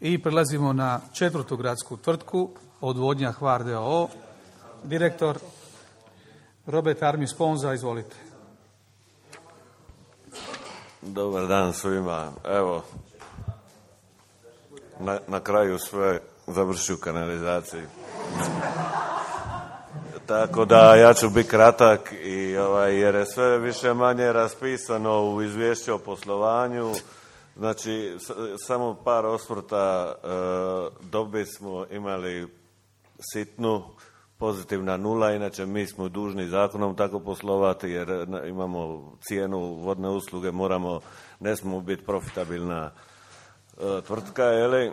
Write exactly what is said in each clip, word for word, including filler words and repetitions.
I prelazimo na četvrtu gradsku tvrtku, Odvodnja Hvar d o o. Direktor Robert Armis Sponza, izvolite. Dobar dan svima. Evo, na, na kraju sve završi u kanalizaciji. Tako da ja ću biti kratak i ovaj, jer je sve više manje raspisano u izvješću o poslovanju. Znači, s, samo par osvrta. E, dobi smo imali sitnu, pozitivna nula, inače mi smo dužni zakonom tako poslovati jer imamo cijenu vodne usluge, moramo, ne smemo biti profitabilna e, tvrtka, jeli?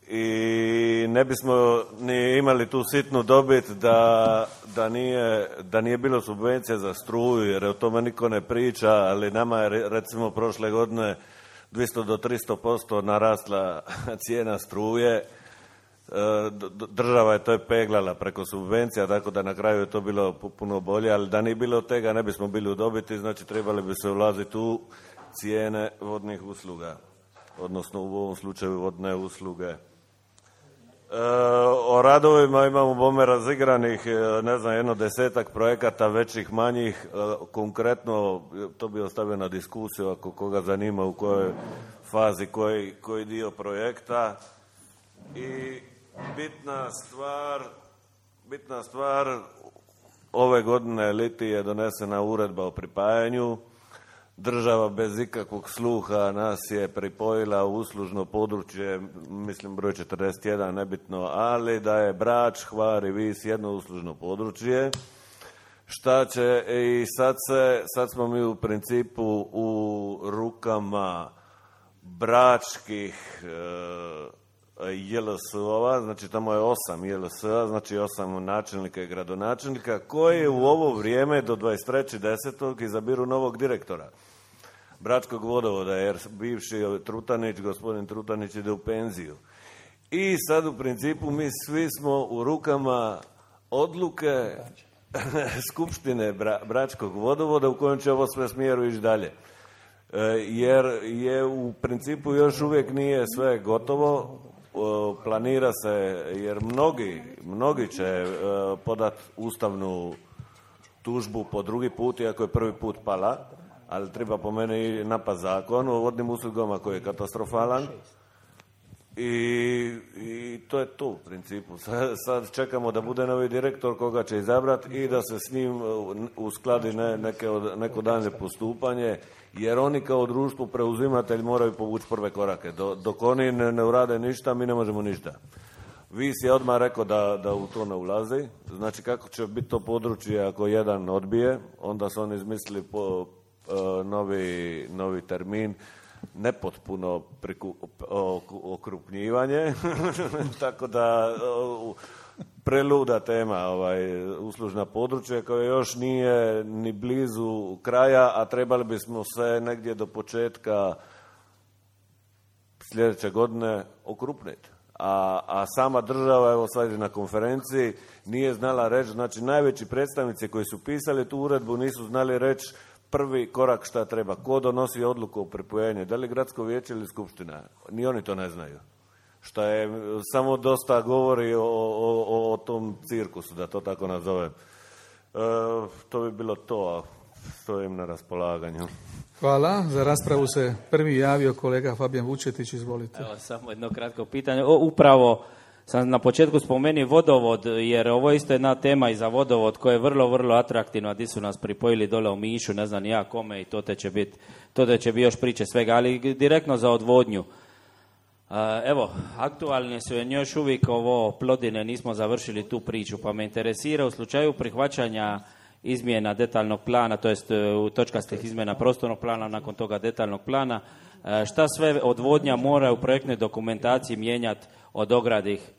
I ne bismo ni imali tu sitnu dobit da, da, nije, da nije bilo subvencija za struju, jer o tome niko ne priča, ali nama je recimo prošle godine dvjesto do tristo posto narasla cijena struje. Država je to je peglala preko subvencija, tako da na kraju je to bilo puno bolje, ali da nije bilo tega ne bismo bili u dobiti, znači trebali bi se ulaziti u cijene vodnih usluga, odnosno u ovom slučaju vodne usluge. E, o radovima imamo bome razigranih, ne znam, jedno desetak projekata, većih, manjih. E, konkretno, to bi ostavio na diskusiju ako koga zanima u kojoj fazi, koji, koji dio projekta. I bitna stvar, bitna stvar, ove godine liti je donesena uredba o pripajanju. Država bez ikakvog sluha nas je pripojila u uslužno područje, mislim broj četrdeset jedan, nebitno, ali da je Brač, Hvar i Vis jedno uslužno područje. Šta će, i sad, se, sad smo mi u principu u rukama bračkih e, J L S-ova, znači tamo je osam J L S-a, znači osam načelnika i gradonačelnika, koji u ovo vrijeme do dvadeset trećeg desetog izabiru novog direktora Bračkog vodovoda, jer bivši Trutanić, gospodin Trutanić ide u penziju. I sad u principu mi svi smo u rukama odluke Skupštine Bra, Bračkog vodovoda u kojem će ovo sve smjeru ići dalje. E, jer je u principu još uvijek nije sve gotovo. Planira se, jer mnogi, mnogi će e, podati ustavnu tužbu po drugi put, iako je prvi put pala, ali treba po meni napad zakon o vodnim uslugama koji je katastrofalan. I, i to je to u principu. Sad, sad čekamo da bude novi direktor koga će izabrati i da se s njim uskladi ne, neke od, neko daljnje postupanje, jer oni kao društvo preuzimatelj moraju povući prve korake. Do, dok oni ne, ne urade ništa, mi ne možemo ništa. Vis je odmah rekao da, da u to ne ulazi. Znači kako će biti to područje ako jedan odbije, onda su oni izmislili po, uh, novi, novi termin, nepotpuno priku, okrupnjivanje, tako da uh, preluda tema, ovaj, uslužna područja koja još nije ni blizu kraja, a trebali bismo se negdje do početka sljedeće godine okrupniti. A, a sama država, evo sad je na konferenciji, nije znala reći, znači najveći predstavnici koji su pisali tu uredbu nisu znali reći prvi korak šta treba, ko donosi odluku o pripojenju, da li gradsko vijeće ili skupština, ni oni to ne znaju. Što je samo dosta govori o, o, o tom cirkusu, da to tako nazovem. E, to bi bilo to, a stojim na raspolaganju. Hvala. Za raspravu se prvi javio kolega Fabijan Vučetić, izvolite. Evo, samo jedno kratko pitanje. O, upravo sam na početku spomenuo vodovod, jer ovo je isto jedna tema i za vodovod koja je vrlo, vrlo atraktivna, gdje su nas pripojili dole u Mišu, ne znam ja kome, i to te će biti, to te će biti još priče svega, ali direktno za odvodnju. Evo, aktualne su još uvijek ovo Plodine, nismo završili tu priču, pa me interesira u slučaju prihvaćanja izmjena detaljnog plana, to jest u točkastih izmjena prostornog plana, nakon toga detaljnog plana, šta sve odvodnja mora u projektnoj dokumentaciji mijenjati od ogradih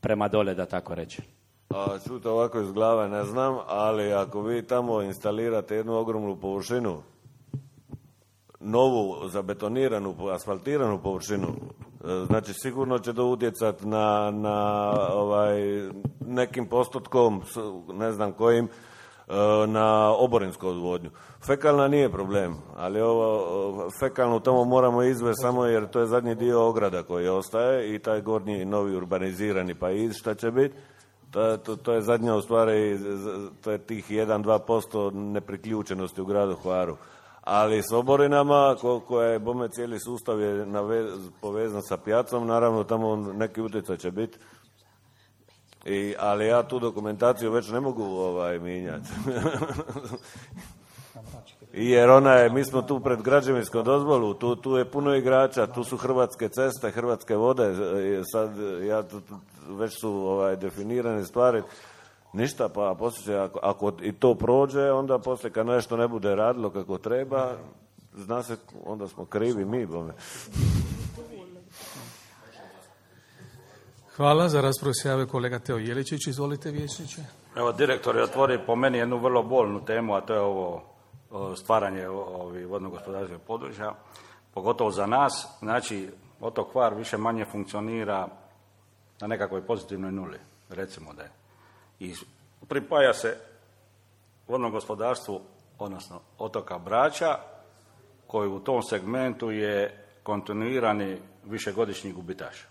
prema dole, da tako reći? A, čuto ovako iz glave ne znam, ali ako vi tamo instalirate jednu ogromnu površinu, novu zabetoniranu, asfaltiranu površinu, znači sigurno će to utjecati na, na ovaj, nekim postotkom, ne znam kojim, na oborinsku odvodnju. Fekalna nije problem, ali ovo fekalnu tamo moramo izvesti samo jer to je zadnji dio ograda koji ostaje i taj gornji novi urbanizirani paiz šta će biti. To, to, to je zadnja u stvari, to je tih jedan do dva posto nepriključenosti u gradu Hvaru. Ali s oborinama, ko, koja je, bome, cijeli sustav je navez, povezan sa pjacom, naravno tamo neki utjecaj će biti. I, ali ja tu dokumentaciju već ne mogu ovaj, mijenjati. Jer ona je, mi smo tu pred građevinskom dozvolu, tu, tu je puno igrača, tu su Hrvatske ceste, Hrvatske vode, sad ja, tu, tu, već su ovaj, definirane stvari. Ništa, pa poslije, ako, ako i to prođe, onda poslije kad nešto ne bude radilo kako treba, zna se, onda smo krivi mi, bome. Hvala, za raspravu se javio kolega Teo Jeličić, izvolite vijećniče. Evo, direktor je otvorio po meni jednu vrlo bolnu temu, a to je ovo stvaranje ovih vodno-gospodarskih područja, pogotovo za nas. Znači, otok Hvar više manje funkcionira na nekakvoj pozitivnoj nuli, recimo da je. I pripaja se vodnom gospodarstvu, odnosno otoka Brača, koji u tom segmentu je kontinuirani višegodišnji gubitaš.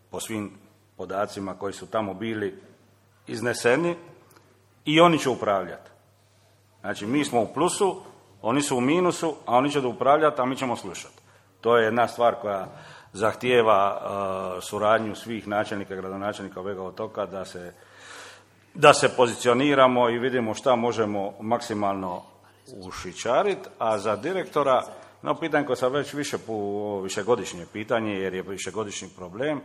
Po svim podacima koji su tamo bili izneseni i oni će upravljati. Znači, mi smo u plusu, oni su u minusu, a oni će da upravljati, a mi ćemo slušati. To je jedna stvar koja zahtijeva uh, suradnju svih načelnika i gradonačelnika ovega otoka da se, da se pozicioniramo i vidimo šta možemo maksimalno ušićariti, a za direktora, no pitanje koje sam već više po višegodišnje pitanje, jer je višegodišnji problem.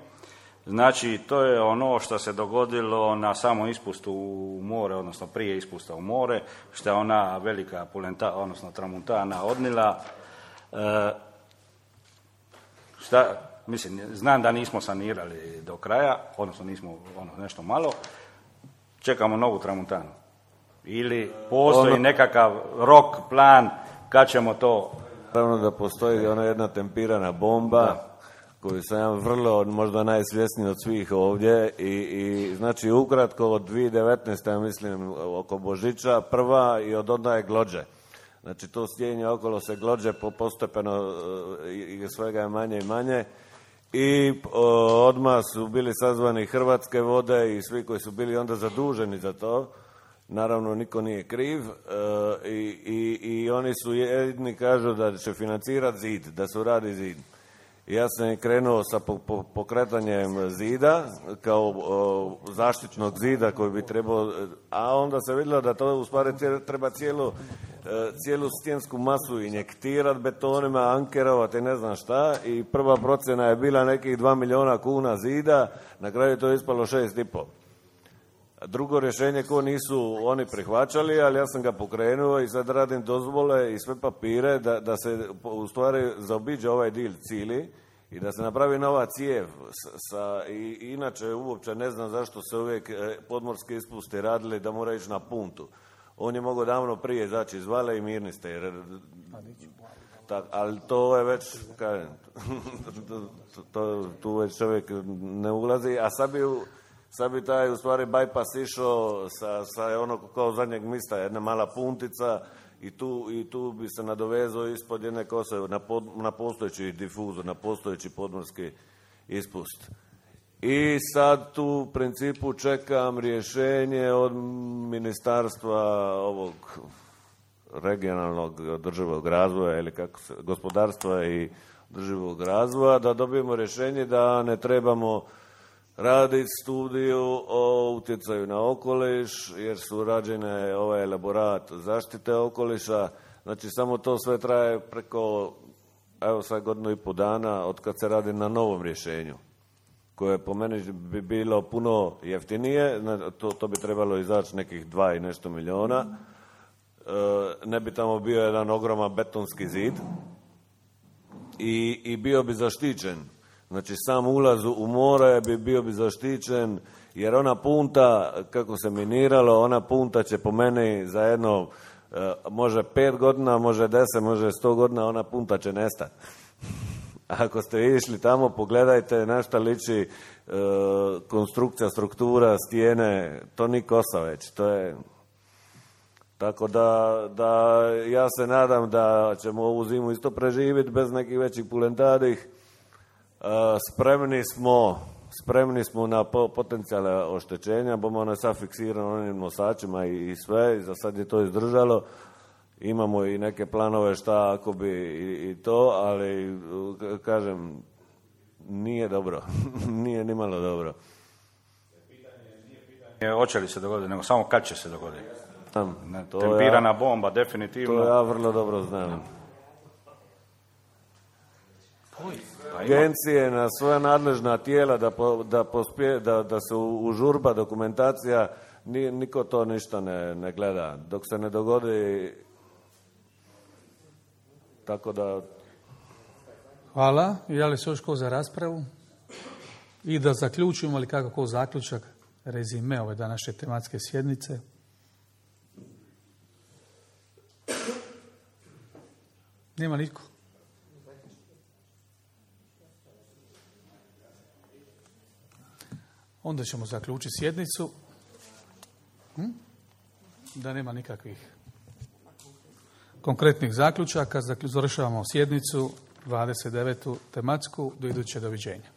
Znači, to je ono što se dogodilo na samom ispustu u more, odnosno prije ispusta u more, što je ona velika pulenta, odnosno tramuntana odnila. E, šta, mislim, znam da nismo sanirali do kraja, odnosno nismo ono, nešto malo, čekamo novu tramuntanu. Ili postoji ono, nekakav rok, plan, kad ćemo to... Naravno da postoji ona jedna tempirana bomba, da, koju sam ja vrlo, možda najsvjesniji od svih ovdje i, i znači ukratko od dvije tisuće devetnaeste. ja mislim oko Božića prva i od onda je glođe. Znači to stijenje okolo se glođe po postepeno i svega je manje i manje i o, odmah su bili sazvani Hrvatske vode i svi koji su bili onda zaduženi za to. Naravno niko nije kriv e, i, i, i oni su jedni kažu da će financirati zid, da se uradi zid. Ja sam krenuo sa pokretanjem zida, kao o, zaštitnog zida koji bi trebao, a onda se vidjelo da to u stvari treba cijelu, cijelu stijensku masu injektirati betonima, ankerovati, ne znam šta, i prva procjena je bila nekih dva milijuna kuna zida, na kraju to je ispalo šest i pol. Drugo rješenje ko nisu oni prihvaćali, ali ja sam ga pokrenuo i sad radim dozvole i sve papire da, da se u stvari zaobiđe ovaj dil cili i da se napravi nova cijev. Sa, i, inače uopće ne znam zašto se uvijek podmorski ispusti radili da mora ići na puntu. On je mogao davno prije izaći iz Vale i mirni ste. Jer, tak, ali to je već, kažem, to, to, tu već čovjek ne ulazi, a sad bi... Sad bi taj u stvari bypass išao sa, sa ono kao zadnjeg mista, jedna mala puntica i tu, i tu bi se nadovezao ispod jedne kose na, pod, na postojeći difuzor, na postojeći podmorski ispust. I sad tu u principu čekam rješenje od ministarstva ovog regionalnog održivog razvoja ili kako se, gospodarstva i održivog razvoja, da dobijemo rješenje da ne trebamo raditi studiju o utjecaju na okoliš, jer su rađene ovaj elaborat zaštite okoliša. Znači, samo to sve traje preko, evo sad godinu i pol dana od kad se radi na novom rješenju, koje po meni bi bilo puno jeftinije, to, to bi trebalo izaći nekih dva i nešto milijuna. E, ne bi tamo bio jedan ogroman betonski zid i, i bio bi zaštićen. Znači, sam ulaz u more bi bio bi zaštićen, jer ona punta, kako se miniralo, ona punta će po meni za jedno, e, može pet godina, može deset, može sto godina, ona punta će nestati. Ako ste išli tamo, pogledajte na šta liči e, konstrukcija, struktura, stijene, to ni kosa već, to je... Tako da, da ja se nadam da ćemo ovu zimu isto preživjeti bez nekih većih pulentadih. E, spremni smo spremni smo na po, potencijale oštećenja, bomo ono sad fiksirano onim nosačima i, i sve, i za sad je to izdržalo. Imamo i neke planove šta ako bi i, i to, ali kažem, nije dobro, nije nimalo dobro. Je, hoće li se dogoditi, nego samo kad će se dogoditi. Ne, to tempirana ja, bomba, definitivno. To ja vrlo dobro znam. Agencije na svoja nadležna tijela da, po, da, pospje, da, da se užurba dokumentacija, ni, niko to ništa ne, ne gleda. Dok se ne dogodi, tako da... Hvala. Ja li se još ko za raspravu? I da zaključimo, ali kako ko zaključak, rezime ove današnje tematske sjednice. Nema niko. Onda ćemo zaključiti sjednicu. Hm? Da nema nikakvih konkretnih zaključaka. Završavamo sjednicu dvadeset devetu tematsku. Do iduće, doviđenja.